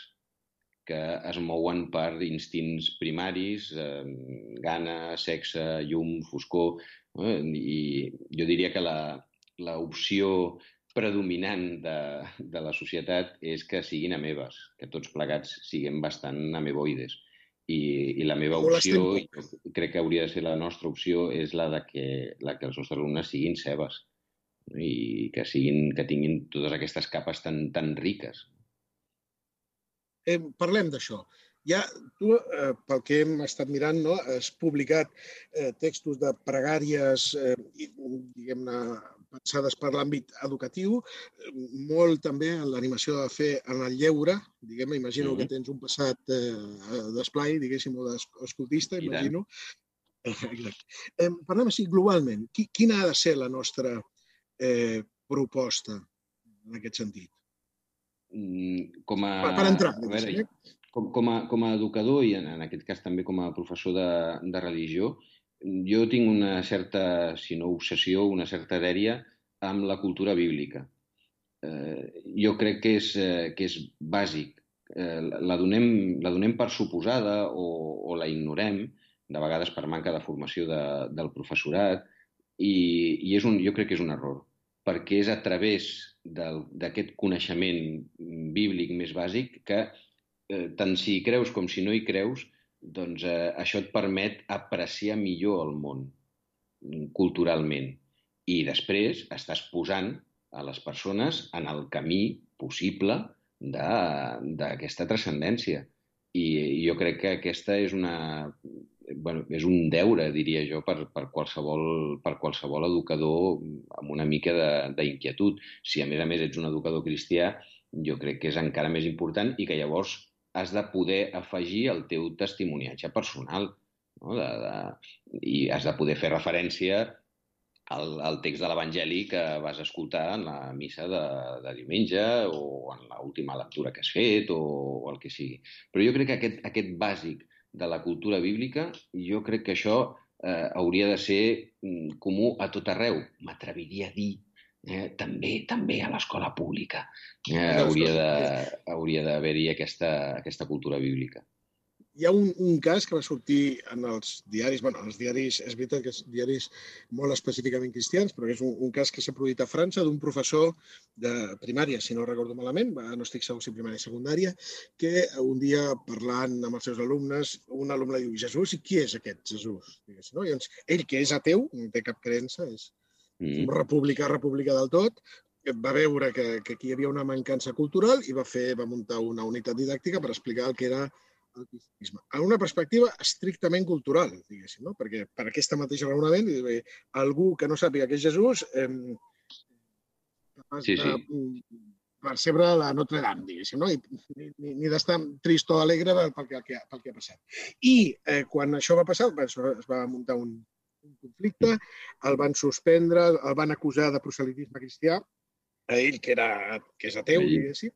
que es mouen per instints primaris, gana, sexe, llum, foscor, i jo diria que l'opció predominant de la societat és que siguin amebes, que tots plegats siguem bastant ameboides. I la meva opció, i crec que hauria de ser la nostra opció, és la que els nostres alumnes siguin cebes i que tinguin totes aquestes capes tan riques. Parlem d'això. Ja tu, pel que hem estat mirant, has publicat textos de pregàries, diguem-ne, pensades per l'àmbit educatiu, molt també en l'animació de fer en el lleure, diguem-ne, imagino que tens un passat d'esplai, diguéssim, o d'escoltista, imagino. Parlem així globalment. Quina ha de ser la nostra proposta en aquest sentit? Per entrar, com a educador i en aquest cas també com a professor de religió, jo tinc una certa, si no obsessió, una certa dèria amb la cultura bíblica. Jo crec que és bàsic. La donem per suposada o la ignorem, de vegades per manca de formació del professorat, i jo crec que és un error, perquè és a través d'aquest coneixement bíblic més bàsic que, tant si hi creus com si no hi creus, doncs això et permet apreciar millor el món culturalment. I després estàs posant a les persones en el camí possible d'aquesta transcendència. I jo crec que aquesta és és un deure, diria jo, per qualsevol educador amb una mica d'inquietud. Si a més ets un educador cristià, jo crec que és encara més important i que llavors has de poder afegir el teu testimoniatge personal, no? I has de poder fer referència al text de l'Evangeli que vas escoltar en la missa de diumenge o en l'última lectura que has fet o el que sigui. Però jo crec que aquest bàsic de la cultura bíblica, jo crec que això hauria de ser comú a tot arreu. M'atreviria a dir també a l'escola pública hauria d'haver-hi aquesta cultura bíblica. hi ha un cas que va sortir en els diaris, és veritat que són diaris molt específicament cristians, però és un cas que s'ha produït a França d'un professor de primària, si no recordo malament, no estic segur si primària o secundària, que un dia parlant amb els seus alumnes, un alumne diu, Jesús, i qui és aquest Jesús? No? I llavors, ell, que és ateu, no té cap creença, és republicà del tot, va veure que aquí hi havia una mancança cultural i va muntar una unitat didàctica per explicar el que era el cristianisme. En una perspectiva estrictament cultural, diguéssim, no? Perquè per aquesta mateixa raonament, algú que no sàpiga què és Jesús de percebre la Notre Dame, diguéssim, no? Ni d'estar trist o alegre pel que ha passat. I quan això va passar, es va muntar un conflicte, el van suspendre, el van acusar de proselitisme cristià, a ell, que és ateu, diguéssim,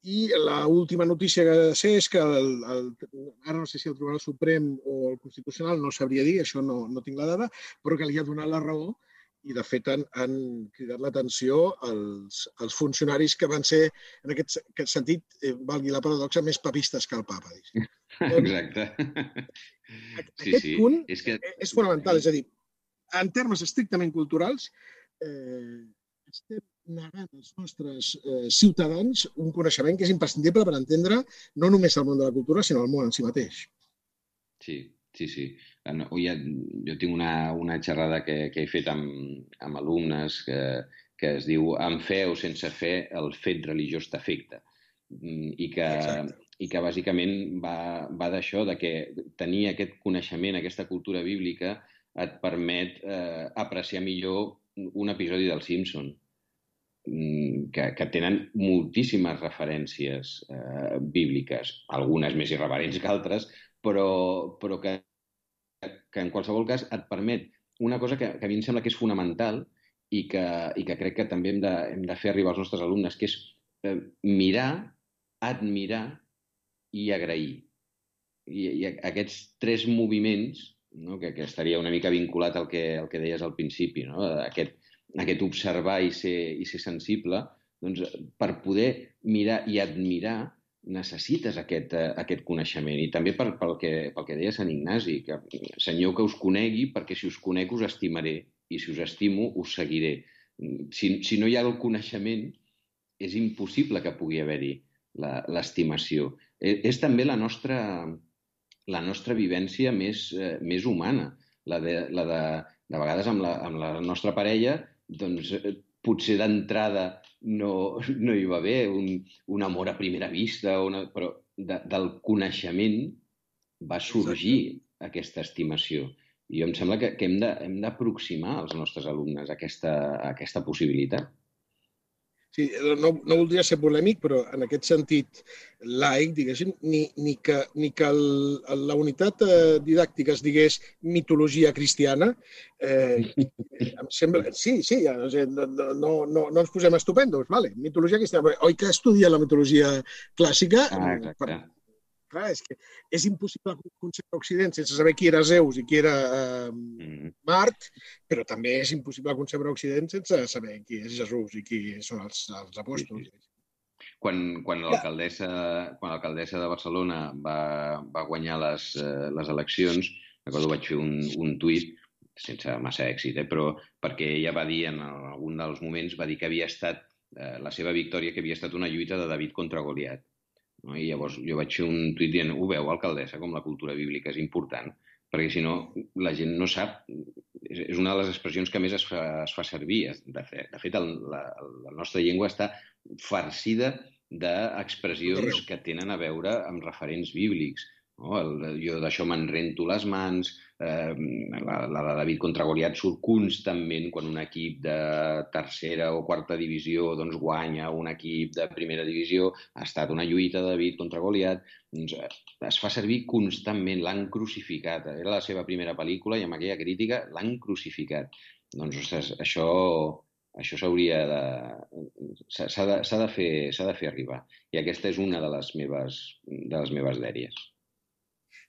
i l'última notícia que sé és que ara no sé si el Tribunal Suprem o el Constitucional, no sabria dir, això no tinc la dada, però que li ha donat la raó i, de fet, han cridat l'atenció als funcionaris que van ser, en aquest sentit, valgui la paradoxa, més papistes que el papa. Exacte. Aquest punt és fonamental, és a dir, en termes estrictament culturals, estem negant als nostres ciutadans un coneixement que és imprescindible per entendre no només el món de la cultura, sinó el món en si mateix. Sí. Jo tinc una xerrada que he fet amb alumnes que es diu amb fe o sense fe el fet religiós t'afecta. I que bàsicament va d'això, de que tenir aquest coneixement, aquesta cultura bíblica, et permet apreciar millor un episodi dels Simpson, que tenen moltíssimes referències bíbliques, algunes més irreverents que altres, però que en qualsevol cas et permet una cosa que a mi em sembla que és fonamental i que crec que també hem de fer arribar als nostres alumnes, que és mirar, admirar i agrair. I aquests tres moviments, no, que estaria una mica vinculat al que deies al principi, no? Aquest observar i ser sensible, doncs per poder mirar i admirar necessites aquest coneixement. I també pel que deia Sant Ignasi, que Senyor, que us conegui, perquè si us conec us estimaré i si us estimo us seguiré. Si no hi ha el coneixement, és impossible que pugui haver-hi l'estimació. És també la nostra vivència més humana, la de vegades amb la nostra parella, doncs potser d'entrada no hi va haver un amor a primera vista, però del coneixement va sorgir aquesta estimació. I em sembla que hem d'aproximar als nostres alumnes a aquesta possibilitat. Sí, no voldria ser polèmic, però en aquest sentit laic, diguéssim, ni que la unitat didàctica es digués mitologia cristiana, em sembla... Sí, no ens posem estupendos, vale, mitologia cristiana. Oi que estudia la mitologia clàssica? Exacte. Clar, és que és impossible concebre Occident sense saber qui era Zeus i qui era Mart, però també és impossible concebre Occident sense saber qui és Jesús i qui són els apòstols. Quan l'alcaldessa de Barcelona va guanyar les eleccions, recordo vaig fer un tuit, sense massa èxit, però perquè ella va dir en algun dels moments, va dir que havia estat la seva victòria, que havia estat una lluita de David contra Goliat. I llavors jo vaig fer un tuit dient, ho veu, alcaldessa, com la cultura bíblica és important, perquè si no la gent no sap, és una de les expressions que més es fa servir. De fet, la nostra llengua està farcida d'expressions que tenen a veure amb referents bíblics. Jo d'això me'n rento les mans, la de David contra Goliat surt constantment quan un equip de tercera o quarta divisió guanya un equip de primera divisió, ha estat una lluita de David contra Goliat, es fa servir constantment, l'han crucificat, era la seva primera pel·lícula i amb aquella crítica l'han crucificat. Doncs, ostres, això s'hauria s'ha de fer arribar, i aquesta és una de les meves dèries.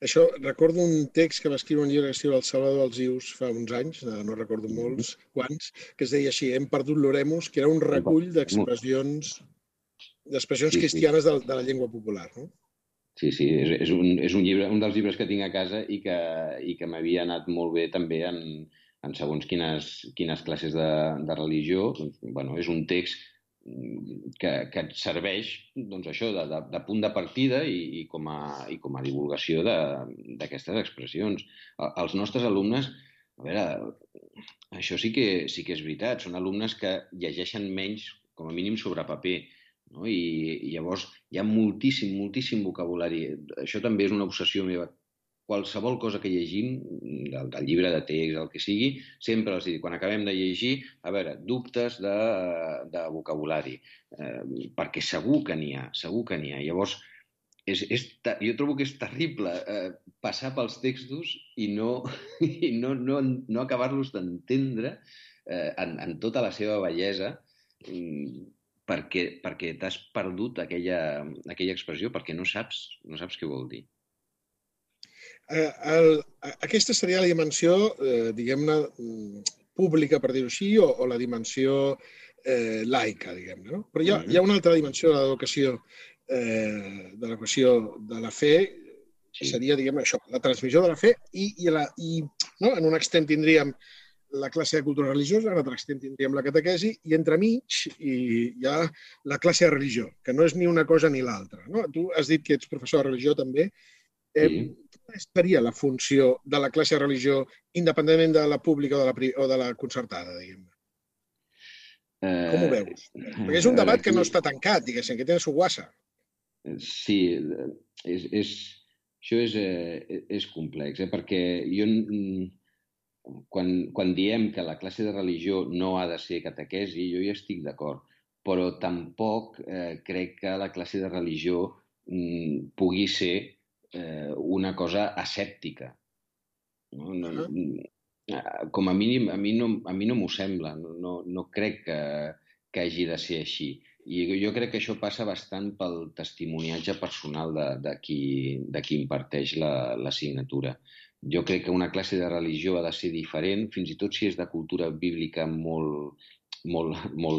Això, recordo un text que va escriure un llibre que es diu El Salvador dels Ius fa uns anys, no recordo molts quants, que es deia així, Hem perdut l'oremus, que era un recull d'expressions cristianes de la llengua popular. No? Sí, és un llibre, un dels llibres que tinc a casa i que m'havia anat molt bé també en segons quines classes de religió. Doncs, bueno, és un text que et serveix, doncs, això, de punt de partida i com a divulgació d'aquestes expressions. Els nostres alumnes, a veure, això sí que és veritat, són alumnes que llegeixen menys, com a mínim, sobre paper, no? I llavors hi ha moltíssim vocabulari. Això també és una obsessió meva. Qualsevol cosa que llegim, del llibre de text, el que sigui, sempre els dic, quan acabem de llegir, a veure, dubtes de vocabulari, perquè segur que n'hi ha. Llavors, jo trobo que és terrible passar pels textos i no acabar-los d'entendre en tota la seva bellesa, perquè t'has perdut aquella expressió, perquè no saps què vol dir. Aquesta seria la dimensió, diguem-ne, pública, per dir-ho així, o la dimensió laica, diguem-ne, no? Però hi ha una altra dimensió de l'educació, de l'equació de la fe, que seria, diguem-ne, això, la transmissió de la fe i no? En un extrem tindríem la classe de cultura religiosa, en l'altre extrem tindríem la catequesi, i entremig hi ha la classe de religió, que no és ni una cosa ni l'altra, no? Tu has dit que ets professor de religió també. Quina seria la funció de la classe de religió, independentment de la pública o de la concertada, diguem-ne? Com ho veus? Perquè és un debat que no està tancat, diguéssim, que té la seva guassa. Sí, això és complex, perquè quan diem que la classe de religió no ha de ser catequesi, jo hi estic d'acord, però tampoc crec que la classe de religió pugui ser una cosa asèptica. Com a mínim, a mi no m'ho sembla, no crec que hagi de ser així. I jo crec que això passa bastant pel testimoniatge personal de qui imparteix l'assignatura. Jo crec que una classe de religió ha de ser diferent, fins i tot si és de cultura bíblica molt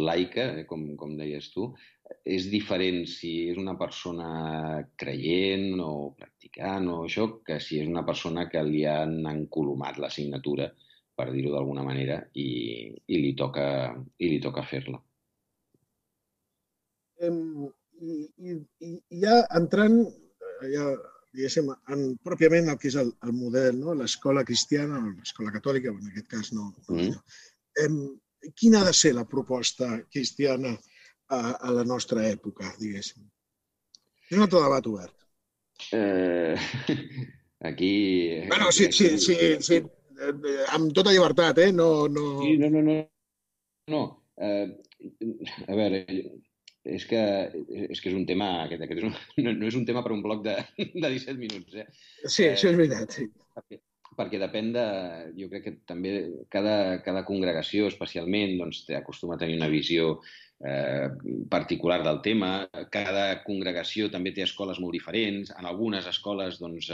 laica, com deies tu. És diferent si és una persona creient o practicant o això, que si és una persona que li han encolomat l'assignatura, per dir-ho d'alguna manera, i li toca fer-la. I ja entrant, diguéssim, pròpiament el que és el model, no? L'escola cristiana o l'escola catòlica, en aquest cas no. Quina ha de ser la proposta cristiana a la nostra època, diguéssim? És un altre debat obert. Aquí... Bueno, sí, amb tota llibertat, No. A veure, és que és un tema... No és un tema per un bloc de 17 minuts, Sí, això és veritat, sí. Perquè depèn de... Jo crec que també cada congregació, especialment, doncs, acostuma a tenir una visió particular del tema. Cada congregació també té escoles molt diferents. En algunes escoles, doncs,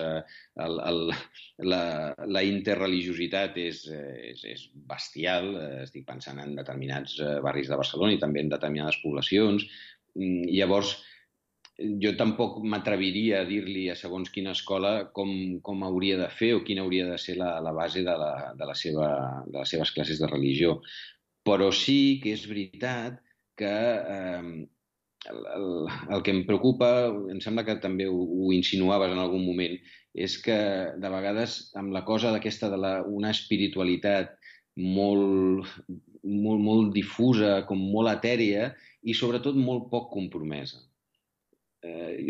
la interreligiositat és bestial. Estic pensant en determinats barris de Barcelona i també en determinades poblacions. Llavors, jo tampoc m'atreviria a dir-li a segons quina escola com hauria de fer o quina hauria de ser la base de les seves classes de religió. Però sí que és veritat que el que em preocupa, em sembla que també ho insinuaves en algun moment, és que de vegades amb la cosa d'aquesta una espiritualitat molt difusa, com molt etèria i sobretot molt poc compromesa.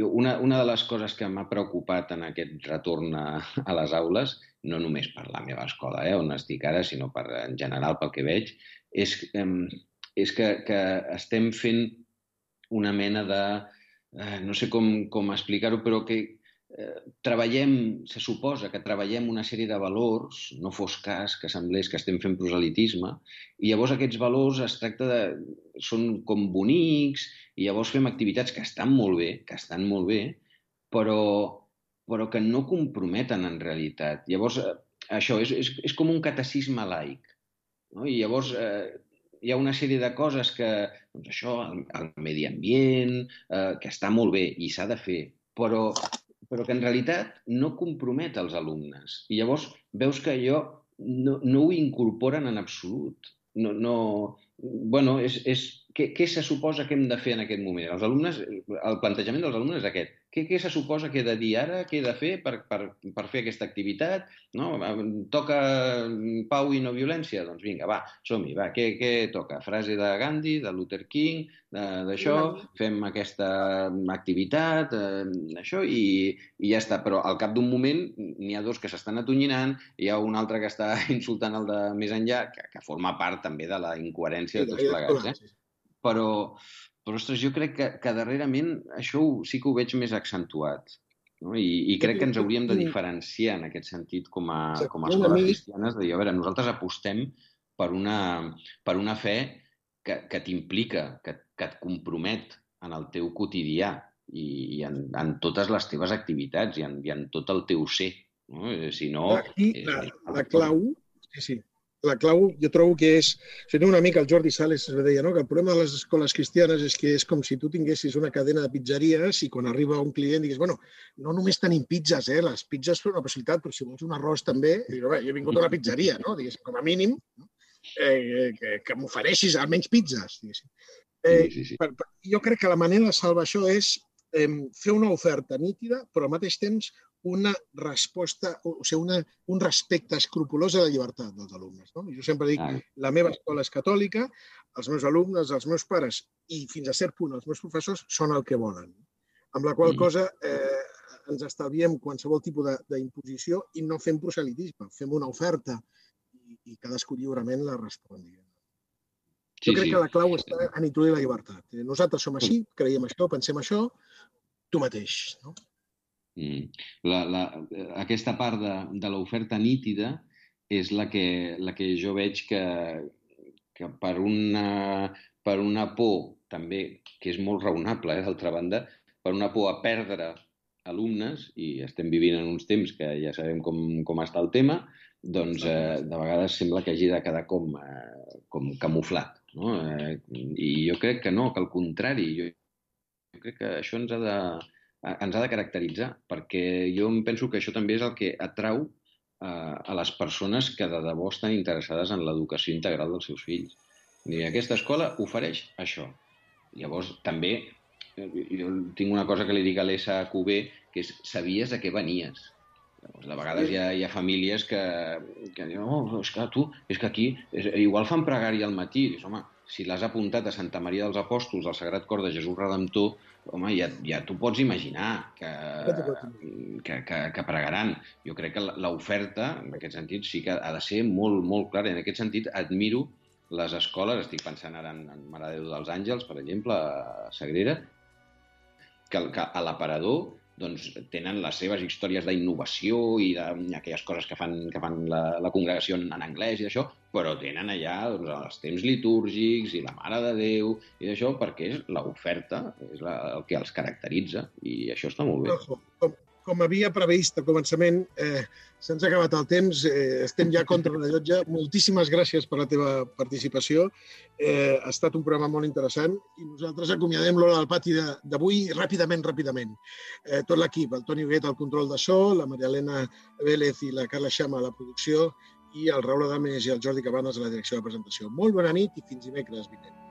Una de les coses que m'ha preocupat en aquest retorn a les aules, no només per la meva escola, on estic ara, sinó en general pel que veig, és que estem fent una mena de... no sé com explicar-ho, però que se suposa que treballem una sèrie de valors, no fos cas que semblés que estem fent proselitisme, i llavors aquests valors són com bonics, i llavors fem activitats que estan molt bé, però que no comprometen en realitat. Llavors, això és com un catecisme laic, no? I llavors hi ha una sèrie de coses que, doncs això, el medi ambient, que està molt bé i s'ha de fer, però però que en realitat no compromet els alumnes. I llavors veus que allò no ho incorporen en absolut. Bueno, què se suposa que hem de fer en aquest moment? El plantejament dels alumnes és aquest. Què se suposa que he de dir ara, què he de fer per fer aquesta activitat? No? Toca pau i no violència? Doncs vinga, va, som-hi, va. Què toca? Frase de Gandhi, de Luther King, d'això, fem aquesta activitat, això, i ja està. Però al cap d'un moment n'hi ha dos que s'estan atonyinant, hi ha un altre que està insultant el de més enllà, que forma part també de la incoherència de tots plegats. Però, ostres, jo crec que darrerament això sí que ho veig més accentuat. No? I crec que ens hauríem de diferenciar en aquest sentit com a escoles cristianes, de dir, a veure, nosaltres apostem per una fe que t'implica, que et compromet en el teu quotidià i en totes les teves activitats i en tot el teu ser. No? Si no... La clau, sí. La clau jo trobo que és, una mica el Jordi Sales es deia, no? Que el problema de les escoles cristianes és que és com si tu tinguessis una cadena de pizzeries i quan arriba un client digues, bueno, no només tenim pizzas, les pizzas són una possibilitat, però si vols un arròs també, jo he vingut a una pizzeria, no? Digues, com a mínim, que m'ofereixis almenys pizzas. Sí. Jo crec que la manera de salvar això és fer una oferta nítida, però al mateix temps una resposta, o sigui, un respecte escrupolós a la llibertat dels alumnes. No? Jo sempre dic, la meva escola és catòlica, els meus alumnes, els meus pares i fins a cert punt els meus professors són el que volen. Amb la qual cosa ens estalviem qualsevol tipus d'imposició i no fem proselitisme, fem una oferta i cadascú lliurement la respongui. Jo crec que la clau està en introduir la llibertat. Nosaltres som així, creiem això, pensem això, tu mateix, no? Aquesta part de l'oferta nítida és la que jo veig que per una por també, que és molt raonable, d'altra banda, per una por a perdre alumnes, i estem vivint en uns temps que ja sabem com està el tema, doncs de vegades sembla que hagi de quedar com camuflat. No? I jo crec que no, que al contrari, jo crec que això ens ha de caracteritzar, perquè jo em penso que això també és el que atrau a les persones que de debò estan interessades en l'educació integral dels seus fills. I aquesta escola ofereix això. Llavors, també, jo tinc una cosa que li dic a l'SQB, que és, sabies a què venies. Llavors, de vegades hi ha famílies que diuen, és que aquí igual fan pregària al matí. Dius, home, si l'has apuntat a Santa Maria dels Apòstols, al Sagrat Cor de Jesús Redemptor, home, ja t'ho pots imaginar que pregaran. Jo crec que l'oferta, en aquest sentit, sí que ha de ser molt, molt clara. En aquest sentit, admiro les escoles, estic pensant ara en Mare de Déu dels Àngels, per exemple, a Sagrera, que a l'Aparador doncs, tenen les seves històries d'innovació i d'aquelles coses que fan la congregació en anglès i d'això, però tenen allà els temps litúrgics i la Mare de Déu i d'això, perquè és l'oferta, és el que els caracteritza, i això està molt bé. Com havia previst al començament, se'ns ha acabat el temps, estem ja contra la llotja. Moltíssimes gràcies per la teva participació. Ha estat un programa molt interessant i nosaltres acomiadem l'Hora del Pati d'avui ràpidament. Tot l'equip, el Toni Huguet al control de so, la Maria Elena Vélez i la Carla Xama a la producció i el Raül Adames i el Jordi Cabanes a la direcció de presentació. Molt bona nit i fins dimecres vinent.